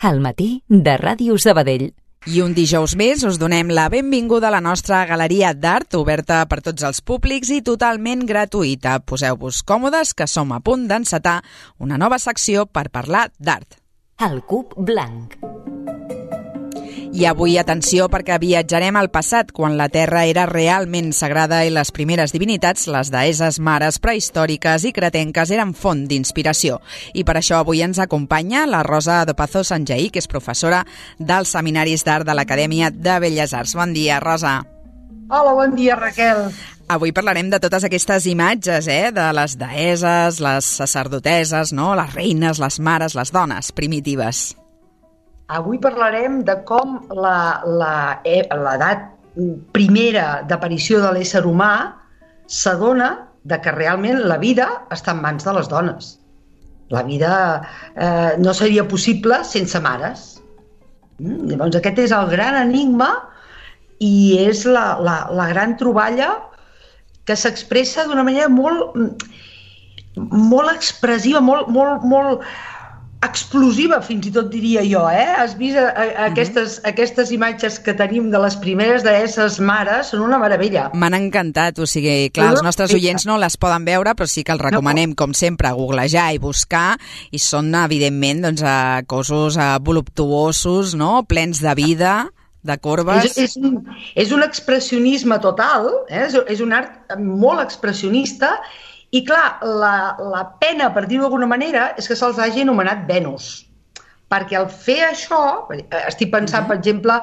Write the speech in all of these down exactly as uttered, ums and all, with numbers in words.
Al matí de Ràdio Sabadell. I un dijous més us donem la benvinguda a la nostra galeria d'art, oberta per tots els públics i totalment gratuïta. Poseu-vos còmodes, que som a punt d'encetar una nova secció per parlar d'art. El cub blanc. I avui, atenció, perquè viatjarem al passat, quan la Terra era realment sagrada i les primeres divinitats, les deesses mares prehistòriques i cretenques, eren font d'inspiració. I per això avui ens acompanya la Rosa Dopazo Sanjaí, que és professora dels seminaris d'art de l'Acadèmia de Belles Arts. Bon dia, Rosa. Hola, bon dia, Raquel. Avui parlarem de totes aquestes imatges, eh? De les deesses, les sacerdoteses, no? Les reines, les mares, les dones primitives. Avui parlarem de com la, la, l'edat primera d'aparició de l'ésser humà s'adona de que realment la vida està en mans de les dones. La vida eh, no seria possible sense mares. Mm? Llavors aquest és el gran enigma i és la, la, la gran troballa que s'expressa d'una manera molt, molt expressiva, molt, molt, molt explosiva, fins i tot diria jo, eh? Has vist a, a, a aquestes, aquestes imatges que tenim de les primeres deesses mares? Són una meravella. M'han encantat, o sigui, clar, els nostres oients no les poden veure, però sí que els recomanem, com sempre, googlejar i buscar, i són, evidentment, doncs, cossos voluptuosos, no?, plens de vida, de corbes. És, és, un, és un expressionisme total, eh? és, és un art molt expressionista. I clar, la, la pena, per dir-ho d'alguna manera, és que se'ls hagi anomenat Venus. Perquè al fer això, estic pensant, per exemple,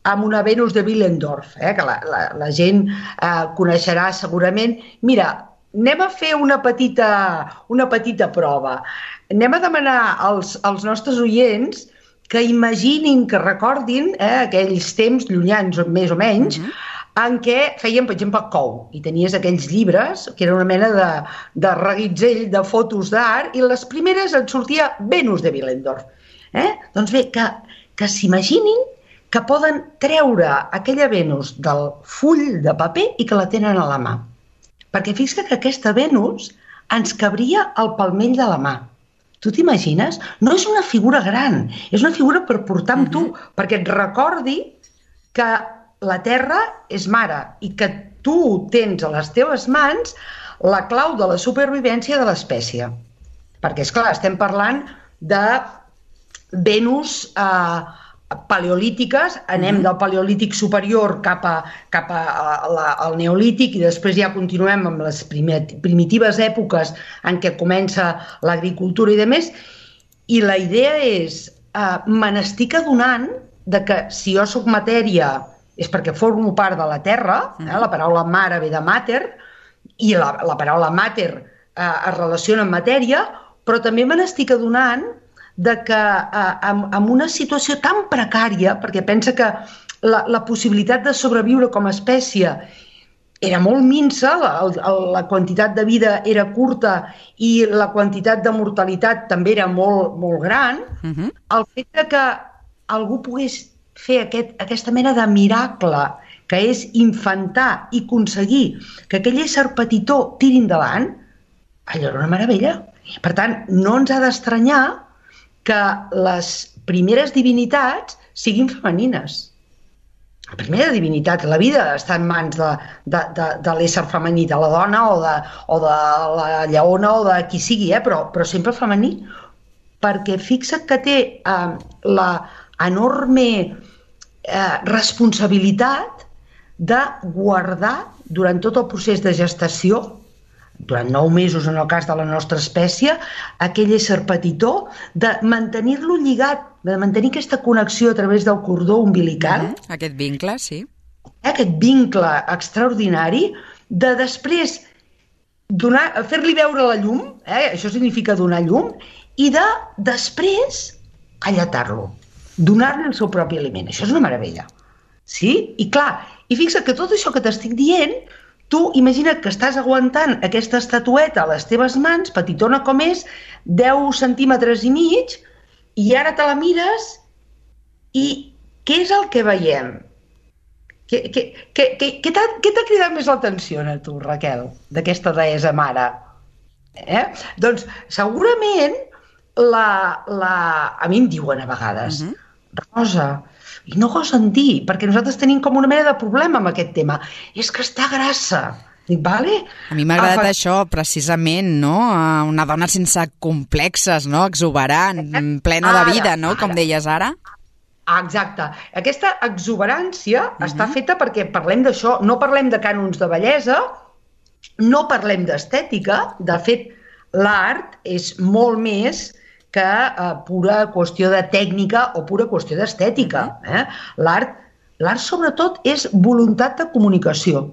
en una Venus de Willendorf, eh, que la, la, la gent eh, coneixerà segurament. Mira, anem a fer una petita, una petita prova. Anem a demanar als, als nostres oients que imaginin, que recordin eh, aquells temps llunyans, més o menys, uh-huh. en què feien, per exemple, cou, i tenies aquells llibres, que era una mena de, de reguitzell de fotos d'art, i les primeres et sortia Venus de Willendorf. Eh? Doncs bé, que, que s'imaginin que poden treure aquella Venus del full de paper i que la tenen a la mà. Perquè fixa't que aquesta Venus ens cabria al palmell de la mà. Tu t'imagines? No és una figura gran, és una figura per portar amb tu, uh-huh. perquè et recordi que la Terra és mare i que tu tens a les teves mans la clau de la supervivència de l'espècie. Perquè, esclar, estem parlant de Venus eh, paleolítiques, anem del paleolític superior cap, a, cap a, a la, al neolític i després ja continuem amb les primitives èpoques en què comença l'agricultura i demés. I la idea és, eh, me n'estic adonant de que si jo soc matèria és perquè formo part de la Terra, eh? La paraula mare ve de mater, i la, la paraula mater eh, es relaciona amb matèria, però també me n'estic adonant de que eh, en, en una situació tan precària, perquè pensa que la, la possibilitat de sobreviure com a espècie era molt minsa, la, la quantitat de vida era curta i la quantitat de mortalitat també era molt, molt gran, uh-huh. el fet de que algú pogués fer aquest, aquesta mena de miracle que és infantar i aconseguir que aquell ésser petitó tiri endavant, allò era una meravella. Per tant, no ens ha d'estranyar que les primeres divinitats siguin femenines. La primera divinitat, la vida està en mans de, de, de, de l'ésser femení, de la dona o de, o de la lleona o de qui sigui, eh? però, però sempre femení, perquè fixa't que té eh, la enorme eh, responsabilitat de guardar durant tot el procés de gestació, durant nou mesos en el cas de la nostra espècie, aquell ésser petitó, de mantenir-lo lligat, de mantenir aquesta connexió a través del cordó umbilical. Mm-hmm. Aquest vincle, sí. Aquest vincle extraordinari de després donar, fer-li veure la llum, eh? Això significa donar llum, i de després alletar-lo, donar-li el seu propi aliment. Això és una meravella. Sí? I clar, i fixa't que tot això que t'estic dient, tu imagina't que estàs aguantant aquesta estatueta a les teves mans, petitona com és, deu centímetres i mig, i ara te la mires i què és el que veiem? Què, què, què, què, què t'ha cridat més l'atenció a tu, Raquel, d'aquesta deessa mare? Eh? Doncs segurament la, la... a mi em diuen a vegades, uh-huh. Rosa, i no gosen dir, perquè nosaltres tenim com una mena de problema amb aquest tema, és que està grassa. Dic, vale? A mi m'ha agradat Afa... això, precisament, no? Una dona sense complexes, no? Exuberant, plena ara, de vida, no? Ara. Com deies ara. Exacte. Aquesta exuberància uh-huh. està feta perquè parlem d'això, no parlem de cànons de bellesa, no parlem d'estètica, de fet, l'art és molt més que eh, pura qüestió de tècnica o pura qüestió d'estètica. Eh? L'art, l'art, sobretot, és voluntat de comunicació.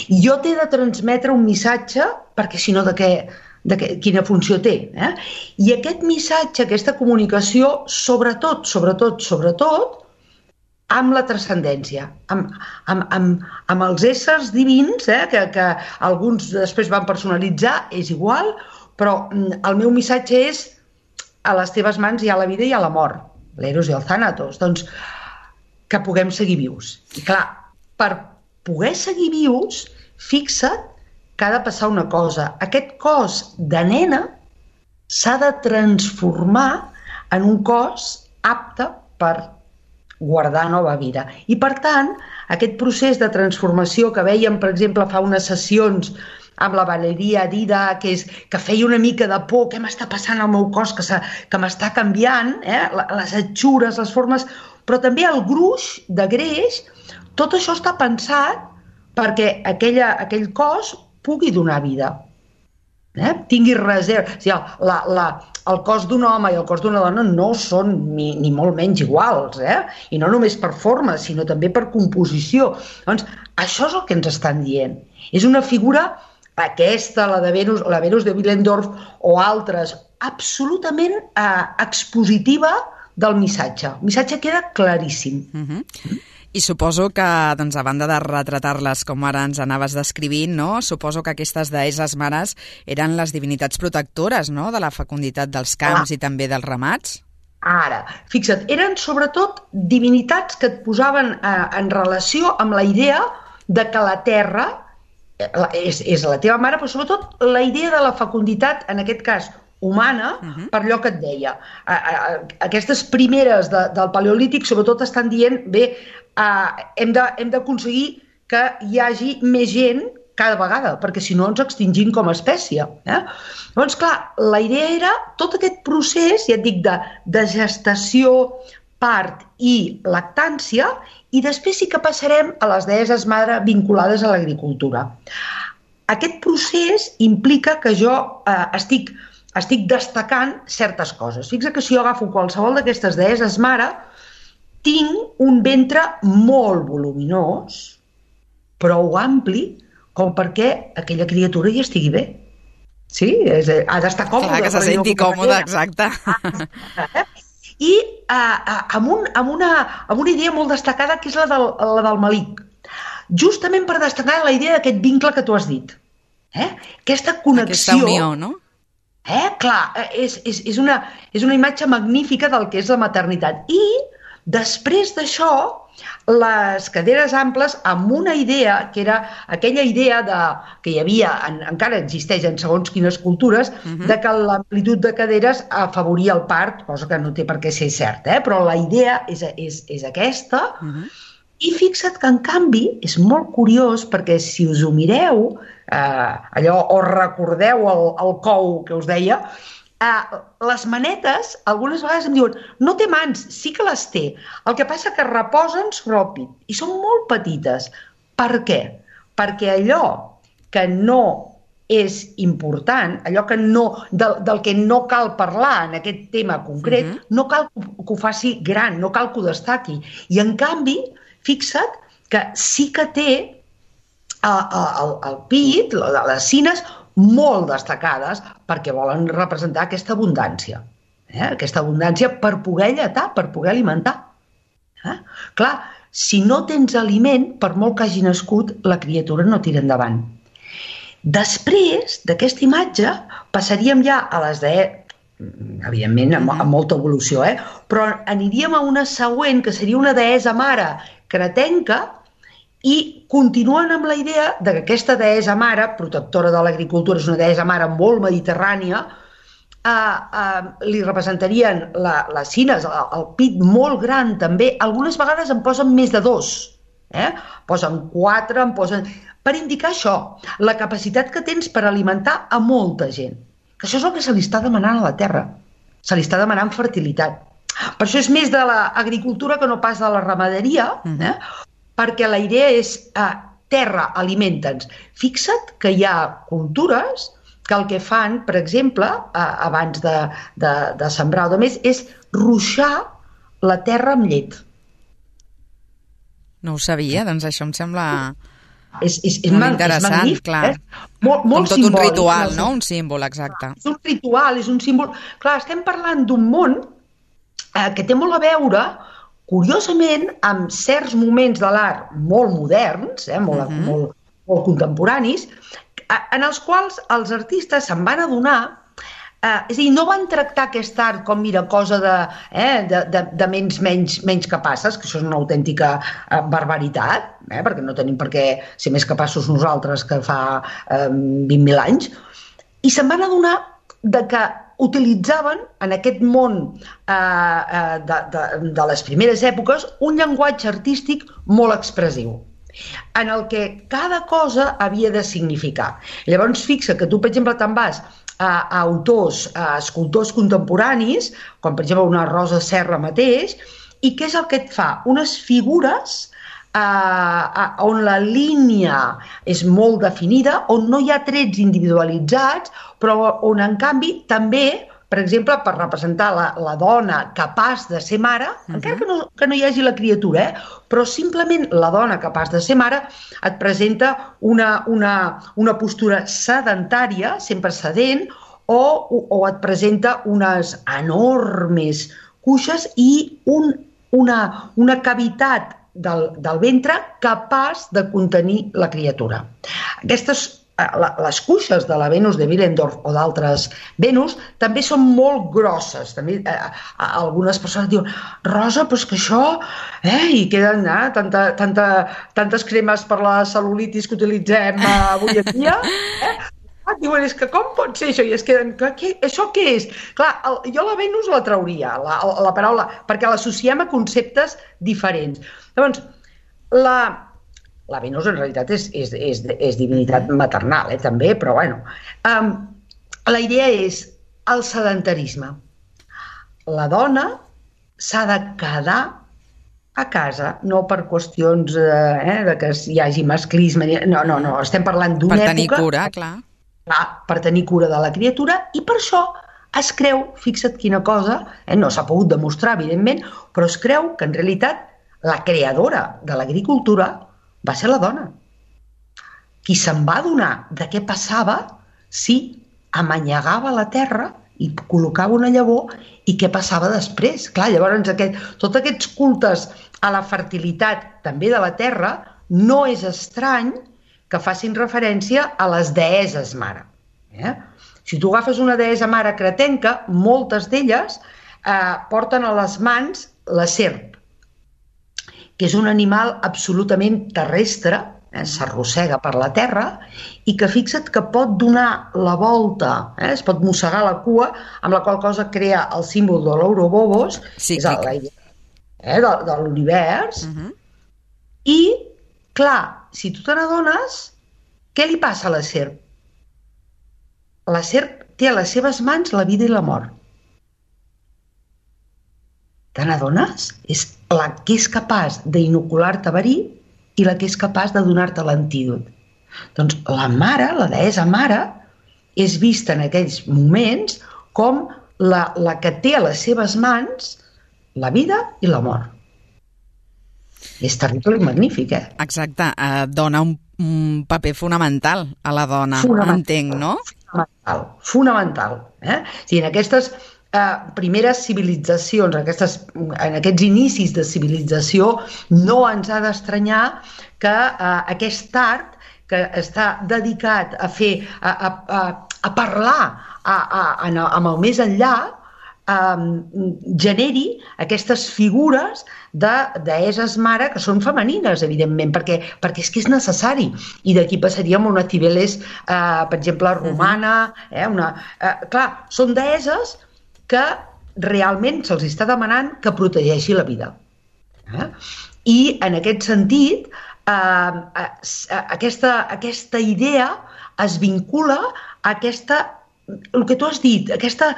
Jo t'he de transmetre un missatge perquè, si no, de què, de què, quina funció té. Eh? I aquest missatge, aquesta comunicació, sobretot, sobretot, sobretot, amb la transcendència, amb, amb, amb, amb els éssers divins, eh, que, que alguns després van personalitzar, és igual, però el meu missatge és a les teves mans hi ha la vida i hi ha la mort, l'eros i el thanatos, doncs que puguem seguir vius. I clar, per poder seguir vius, fixa't que ha de passar una cosa. Aquest cos de nena s'ha de transformar en un cos apte per guardar nova vida. I, per tant, aquest procés de transformació que vèiem, per exemple, fa unes sessions amb la Valeria Dida, que, és, que feia una mica de por, què m'està passant al meu cos, que, que m'està canviant, eh? Les atxures, les formes, però també el gruix de greix, tot això està pensat perquè aquella, aquell cos pugui donar vida. Eh? Tingui reserva. O sigui, la, la, el cos d'un home i el cos d'una dona no són ni, ni molt menys iguals, eh? I no només per forma, sinó també per composició. Doncs això és el que ens estan dient. És una figura, aquesta, la de Venus, la Venus de Willendorf o altres, absolutament eh, expositiva del missatge. El missatge queda claríssim. Uh-huh. I suposo que, doncs, a banda de retratar-les com ara ens anaves descrivint, no? Suposo que aquestes deesses mares eren les divinitats protectores, no?, de la fecunditat dels camps ah. i també dels ramats. Ara, fixa't, eren sobretot divinitats que et posaven eh, en relació amb la idea de que la Terra és, és la teva mare, però sobretot la idea de la fecunditat, en aquest cas humana, uh-huh. per allò que et deia. A, a, aquestes primeres de, del Paleolític sobretot estan dient, bé, uh, hem de, hem d'aconseguir que hi hagi més gent cada vegada, perquè si no ens extingim com a espècie. Eh? Llavors, clar, la idea era tot aquest procés, ja et dic, de, de gestació, part i lactància, i després sí que passarem a les deesses mare vinculades a l'agricultura. Aquest procés implica que jo eh, estic, estic destacant certes coses. Fixa que si jo agafo qualsevol d'aquestes deesses mare, tinc un ventre molt voluminós, prou ampli, com perquè aquella criatura hi estigui bé. Sí? És, ha d'estar còmode. Clar, que se senti còmode, exacte. I uh, uh, amb, un, amb, una, amb una idea molt destacada, que és la del, la del malic. Justament per destacar la idea d'aquest vincle que tu has dit. Eh? Aquesta connexió... Aquesta unió, no? Eh? Clar, és, és, és, una, és una imatge magnífica del que és la maternitat. I després d'això, les caderes amples, amb una idea, que era aquella idea de, que hi havia, en, encara existeix en segons quines cultures, uh-huh. de que l'amplitud de caderes afavoria el part, cosa que no té per què ser cert, eh? Però la idea és, és, és aquesta, uh-huh. I fixa't que, en canvi, és molt curiós, perquè si us ho mireu, eh, allò, o recordeu el, el cou que us deia, Uh, les manetes, algunes vegades em diuen, no té mans, sí que les té. El que passa que reposen sobre el pit i són molt petites. Per què? Perquè allò que no és important, allò que no, del, del que no cal parlar en aquest tema concret, uh-huh. no cal que ho faci gran, no cal que ho destaqui. I en canvi, fixa't que sí que té uh, el, el pit, les cines, molt destacades perquè volen representar aquesta abundància. Eh? Aquesta abundància per poder lletar, per poder alimentar. Eh? Clar, si no tens aliment, per molt que hagi nascut, la criatura no tira endavant. Després d'aquesta imatge passaríem ja a les de... evidentment, amb, amb molta evolució, eh? Però aniríem a una següent, que seria una deessa mare cretenca, i continuen amb la idea de que aquesta deessa mare, protectora de l'agricultura, és una deessa mare molt mediterrània, Uh, uh, li representarien la, les cines, el, el pit molt gran també, algunes vegades en posen més de dos, eh? Posen quatre, en posen... per indicar això, la capacitat que tens per alimentar a molta gent, que això és el que se li està demanant a la terra, se li està demanant fertilitat. Per això és més de l'agricultura que no pas de la ramaderia, eh? Perquè la idea és uh, terra, alimenta'ns. Fixa't que hi ha cultures que el que fan, per exemple, eh, abans de, de, de sembrar o de més, és ruixar la terra amb llet. No ho sabia, doncs això em sembla és, és, és molt mag, interessant, és magnífic, clar. Eh? Molt, molt Com tot simbòlic, un ritual, no? no? Un símbol, exacte. És un ritual, és un símbol... Clar, estem parlant d'un món eh, que té molt a veure, curiosament, amb certs moments de l'art molt moderns, eh, molt, uh-huh. molt, molt contemporanis, en els quals els artistes se'n van adonar, eh, és a dir, no van tractar aquest art com, mira, cosa de, eh, de, de, de menys, menys, menys capaces, que això és una autèntica eh, barbaritat, eh, perquè no tenim per què ser més capaços nosaltres que fa eh, vint mil anys, i se'n van adonar de que utilitzaven en aquest món eh, eh, de, de, de les primeres èpoques un llenguatge artístic molt expressiu, en el que cada cosa havia de significar. Llavors, fixa que tu, per exemple, te'n vas a, a autors, a escultors contemporanis, com per exemple una Rosa Serra mateix, i què és el que et fa? Unes figures eh, on la línia és molt definida, on no hi ha trets individualitzats, però on, en canvi, també, per exemple, per representar la, la dona capaç de ser mare, uh-huh. encara que no, que no hi hagi la criatura, eh? Però simplement la dona capaç de ser mare et presenta una, una, una postura sedentària, sempre sedent, o, o et presenta unes enormes cuixes i un, una, una cavitat del, del ventre capaç de contenir la criatura. Aquestes les cuixes de la Venus de Willendorf o d'altres Venus també són molt grosses. També, eh, algunes persones diuen, Rosa, però és que això... Eh, i queden eh, tanta, tanta, tantes cremes per la cel·lulitis que utilitzem eh, avui en dia. Eh? Ah, diuen, és que com pot ser això? I es queden, que, que, això què és? Clar, el, jo la Venus la trauria, la, la paraula, perquè l'associem a conceptes diferents. Llavors, la... La Venus en realitat és, és, és, és divinitat maternal, eh, també, però bueno. Um, la idea és el sedentarisme. La dona s'ha de quedar a casa, no per qüestions eh, de que hi hagi masclisme, no, no, no, estem parlant d'una època... Per tenir cura, clar. clar. Per tenir cura de la criatura, i per això es creu, fixa't quina cosa, eh, no s'ha pogut demostrar, evidentment, però es creu que en realitat la creadora de l'agricultura va ser la dona. Qui se'n va adonar de què passava si amanyegava la terra i col·locava una llavor i què passava després. Clar, llavors aquest, tots aquests cultes a la fertilitat també de la terra no és estrany que facin referència a les deeses mare. Eh? Si tu agafes una deessa mare cretenca, moltes d'elles eh, porten a les mans la serp, que és un animal absolutament terrestre, eh, s'arrossega per la terra, i que fixa't que pot donar la volta, eh, es pot mossegar la cua, amb la qual cosa crea el símbol de l'Ouroboros, sí, és la idea eh, de, de l'univers, uh-huh. I, clar, si tu te n'adones, què li passa a la serp? La serp té a les seves mans la vida i la mort. Te n'adones? És la que és capaç d'inocular-te verí i la que és capaç de donar-te l'antídot. Doncs la mare, la deessa mare, és vista en aquells moments com la, la que té a les seves mans la vida i la mort. És terrible i magnífic, eh? Exacte, eh, dona un, un paper fonamental a la dona, entenc, no? Fonamental, fonamental. Eh? O sigui, en aquestes eh, primeres civilitzacions, aquestes, en aquests inicis de civilització, no ens ha d'estranyar que eh, aquest art que està dedicat a fer, a, a, a, a parlar a, a, a, amb el més enllà, eh, generi aquestes figures de deesses mare que són femenines, evidentment, perquè, perquè és que és necessari. I d'aquí passaríem a una Cibeles, eh, per exemple, romana. Eh, una, eh, clar, són deesses que realment se'ls està demanant que protegeixi la vida. Eh? I en aquest sentit, eh, eh, aquesta, aquesta idea es vincula a aquesta, el que tu has dit, aquesta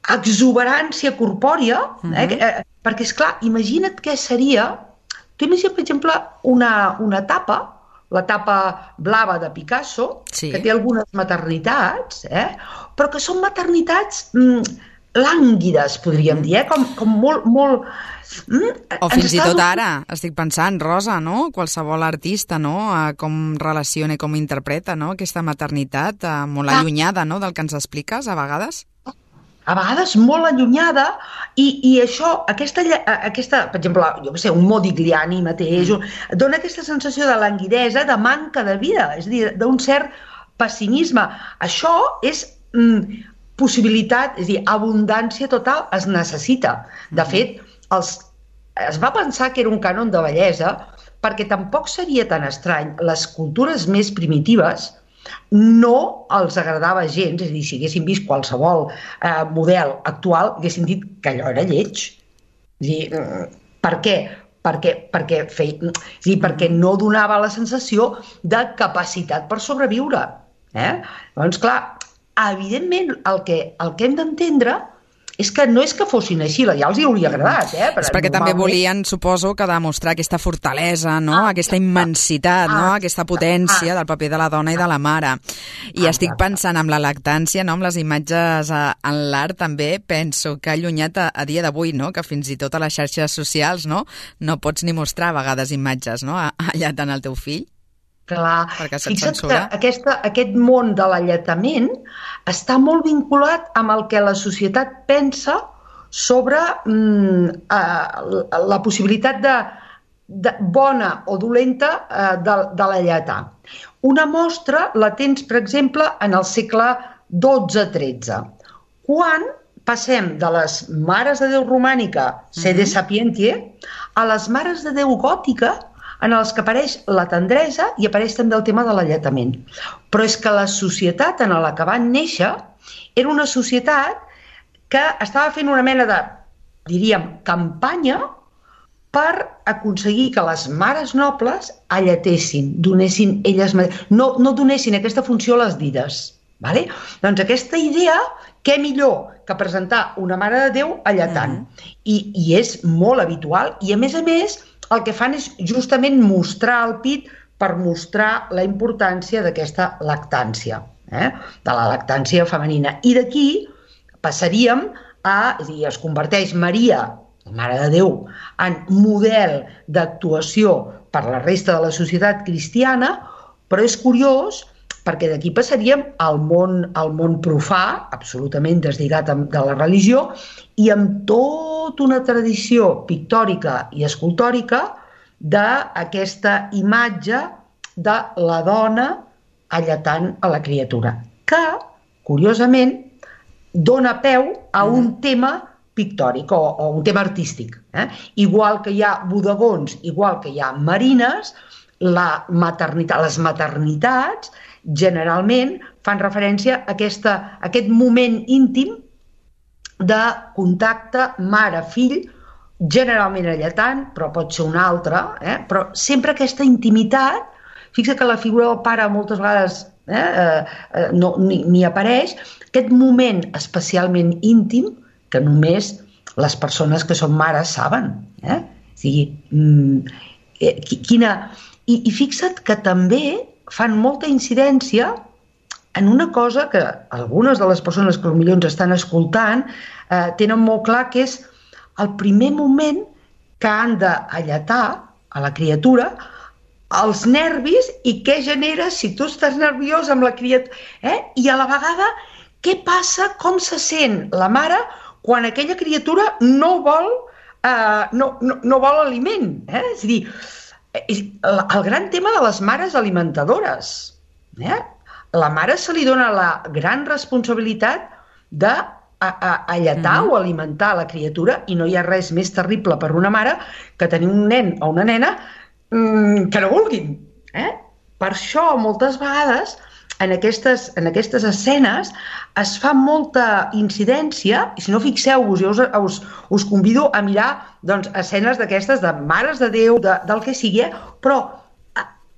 exuberància corpòrea, eh? Uh-huh. eh, perquè, esclar, imagina't què seria, tu imagina't, per exemple, una, una tapa, la tapa blava de Picasso, sí, que té algunes maternitats, eh? Però que són maternitats mm, lànguides, podríem dir, eh? com, com molt... molt mm, o fins i tot ara, estic pensant, Rosa, no? Qualsevol artista, no? Com relaciona i com interpreta, no? Aquesta maternitat eh, molt allunyada, no? Del que ens expliques, a vegades. A vegades molt allunyada, i, i això, aquesta, aquesta, per exemple, jo què sé, un Modigliani mateix, mm. dona aquesta sensació de languidesa, de manca de vida, és a dir, d'un cert pessimisme. Això és mm, possibilitat, és a dir, abundància total, es necessita. De fet, els, es va pensar que era un cànon de bellesa, perquè tampoc seria tan estrany. Les cultures més primitives no els agradava gens, és a dir, si haguessin vist qualsevol eh, model actual, haguessin dit que allò era lleig. És a dir, per què? Perquè, perquè, fei... és a dir, perquè no donava la sensació de capacitat per sobreviure. Eh? Llavors, clar, evidentment, el que, el que hem d'entendre és que no és que fossin així, ja els hi hauria agradat. Eh? Per és perquè normalment... també volien, suposo, que demostrar aquesta fortalesa, no? Ah, aquesta immensitat, ah, no? Aquesta potència ah, del paper de la dona i de la mare. I ah, estic pensant en la lactància, no? Amb les imatges en l'art també, penso que allunyat a, a dia d'avui, no? Que fins i tot a les xarxes socials, no? No pots ni mostrar a vegades imatges, no? Allà tant el teu fill. Clar, fixa't que aquesta, aquest món de l'alletament està molt vinculat amb el que la societat pensa sobre mm, eh, la possibilitat de, de bona o dolenta eh, de, de l'alletar. Una mostra la tens, per exemple, en el segle dotze tretze, quan passem de les mares de Déu romànica, sede sapientie, a les mares de Déu gòtica, en els que apareix la tendresa i apareix també el tema de l'alletament. Però és que la societat en la que van néixer era una societat que estava fent una mena de, diríem, campanya per aconseguir que les mares nobles alletessin, donessin elles mateixes, no, no donessin aquesta funció a les dides. Vale? Doncs aquesta idea, què millor que presentar una mare de Déu alletant. Mm. I, I és molt habitual, i a més a més el que fan és justament mostrar el pit per mostrar la importància d'aquesta lactància, eh? De la lactància femenina. I d'aquí passaríem a, és a dir, es converteix Maria, la Mare de Déu, en model d'actuació per la resta de la societat cristiana, però és curiós perquè d'aquí passaríem al món, al món profà, absolutament deslligat de la religió, i amb tota una tradició pictòrica i escultòrica d'aquesta imatge de la dona alletant a la criatura, que, curiosament, dona peu a un tema pictòric o, o un tema artístic. Eh? Igual que hi ha bodegons, igual que hi ha marines, la maternitat, les maternitats generalment fan referència a, aquesta, a aquest moment íntim de contacte mare-fill, generalment alletant, però pot ser un altre, eh? Però sempre aquesta intimitat, fixa que la figura del pare moltes vegades eh, eh, no, ni, ni apareix, aquest moment especialment íntim que només les persones que són mares saben. Eh? O sigui, mm, quina... I, I fixa't que també fan molta incidència en una cosa que algunes de les persones que potser ens estan escoltant eh, tenen molt clar, que és el primer moment que han d'alletar a la criatura, els nervis i què genera si tu estàs nerviós amb la criatura. Eh? I a la vegada, què passa, com se sent la mare quan aquella criatura no vol, eh, no, no, no vol aliment. Eh? És a dir, el gran tema de les mares alimentadores. Eh? La mare se li dona la gran responsabilitat de a, a alletar mm-hmm. o alimentar la criatura, i no hi ha res més terrible per una mare que tenir un nen o una nena mmm, que no vulguin. Eh? Per això, moltes vegades, en aquestes, en aquestes escenes es fa molta incidència, i si no, fixeu-vos, jo us, us, us convido a mirar doncs, escenes d'aquestes de Mares de Déu, de, del que sigui, eh? Però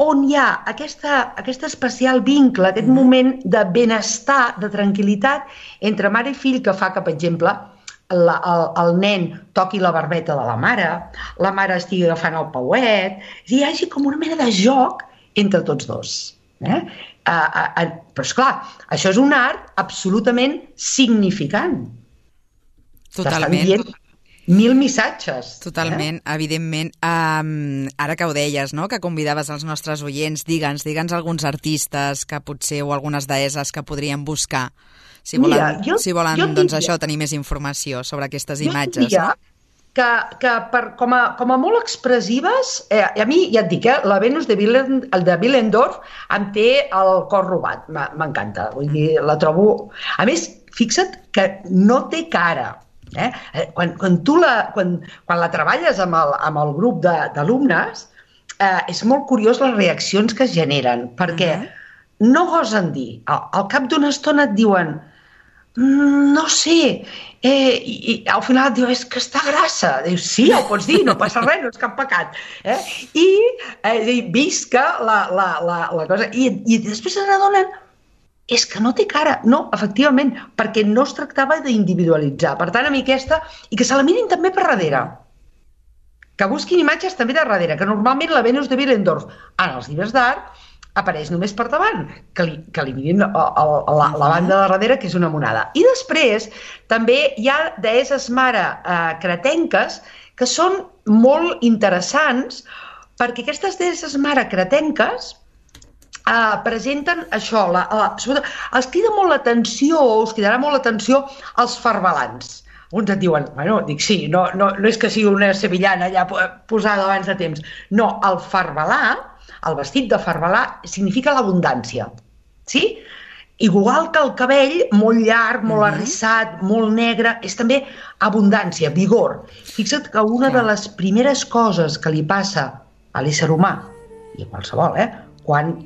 on hi ha aquesta, aquest especial vincle, aquest mm. moment de benestar, de tranquil·litat entre mare i fill, que fa que, per exemple, la, el, el nen toqui la barbeta de la mare, la mare estigui agafant el pauet, és a dir, hi hagi com una mena de joc entre tots dos. Eh? Uh, uh, uh, però esclar, això és un art absolutament significant. Totalment. T'estan dient mil missatges. Totalment, eh? Evidentment. Um, ara que ho deies, no? Que convidaves els nostres oients, digue'ns, digue'ns alguns artistes que potser, o algunes deesses que podrien buscar, si volen, Mira, jo, si volen jo doncs diria, això, tenir més informació sobre aquestes imatges. Jo diria no? que, que per, com, a, com a molt expressives, eh, a mi ja et dic, eh, la Venus de, Willend, el de Willendorf em té el cor robat, m'encanta, vull dir, la trobo... A més, fixa't que no té cara. Eh? Quan, quan, tu la, quan, quan la treballes amb el, amb el grup d'alumnes, eh, és molt curiós les reaccions que es generen, perquè uh-huh. no gosen dir. Al, al cap d'una estona et diuen no sé, eh, i, i al final et diu, és que està grassa. Dius, sí, ho pots dir, no passa res, no és cap pecat. Eh? I eh, visca la, la, la, la cosa. I, i després se n'adonen, és que no té cara. No, efectivament, perquè no es tractava d'individualitzar. Per tant, a mi aquesta, i que se la mirin també per darrere. Que busquin imatges també de darrere, que normalment la Venus de Willendorf en els llibres d'art apareix només per davant, que li, que li mirin a, a, a la, la banda de darrere, que és una monada. I després també hi ha deesses mare eh, cretenques que són molt interessants, perquè aquestes deesses mare cretenques eh, presenten això, la, la, sobretot, els crida molt l'atenció, us cridarà molt l'atenció els farbalans. Uns et diuen, bueno, dic sí, no, no, no és que sigui una sevillana ja posada abans de temps. No, el farbalà, el vestit de farbalà, significa l'abundància, sí? Igual que el cabell, molt llarg, molt arrissat, molt negre, és també abundància, vigor. Fixa't que una de les primeres coses que li passa a l'ésser humà, i a qualsevol, eh, quan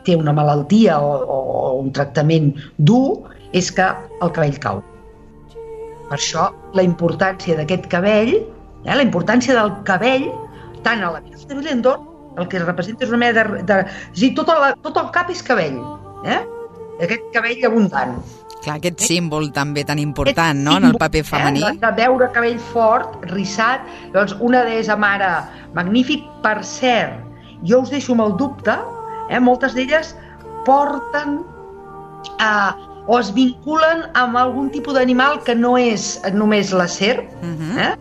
té una malaltia o, o un tractament dur, és que el cabell cau. Per això, la importància d'aquest cabell, eh, la importància del cabell, tant a la Venus de Willendorf, el que representa és una mena de... de és dir, tot, el, tot el cap és cabell, eh? Aquest cabell abundant. Clar, aquest símbol també tan important, no?, en el paper femení. Eh? De veure cabell fort, rissat, doncs una deessa mare magnífic. Per cert, jo us deixo amb el dubte, eh? Moltes d'elles porten eh, o es vinculen amb algun tipus d'animal que no és només la serp, uh-huh. eh?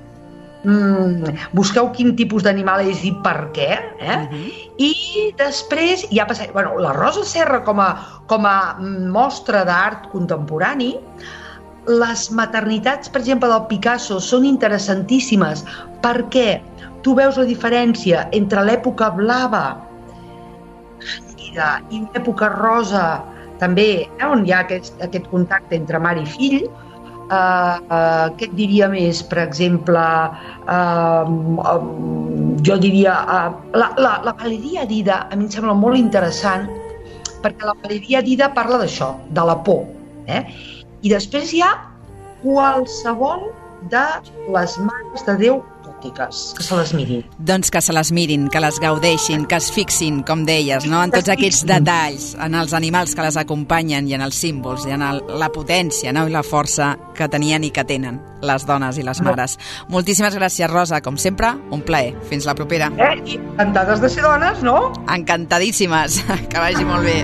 Mm, busqueu quin tipus d'animal és i per què, eh? Uh-huh. I després ja passa, bueno, la Rosa Serra com a, com a mostra d'art contemporani, les maternitats, per exemple, del Picasso són interessantíssimes perquè tu veus la diferència entre l'època blava i l'època rosa també, eh, on hi ha aquest, aquest contacte entre mare i fill. Uh, uh, què et diria més? Per exemple, uh, um, jo diria uh, la, la, la Valeria Dida a mi em sembla molt interessant perquè la Valeria Dida parla d'això, de la por, eh? I després hi ha qualsevol de les mares de Déu gòtiques, que se les mirin. Doncs que se les mirin, que les gaudeixin, que es fixin, com deies, no? En tots aquests detalls, en els animals que les acompanyen i en els símbols i en el, la potència, no? I la força que tenien i que tenen les dones i les mares. No. Moltíssimes gràcies, Rosa, com sempre, un plaer. Fins la propera. Eh? I encantades de ser dones, no? Encantadíssimes. Que vagi molt bé.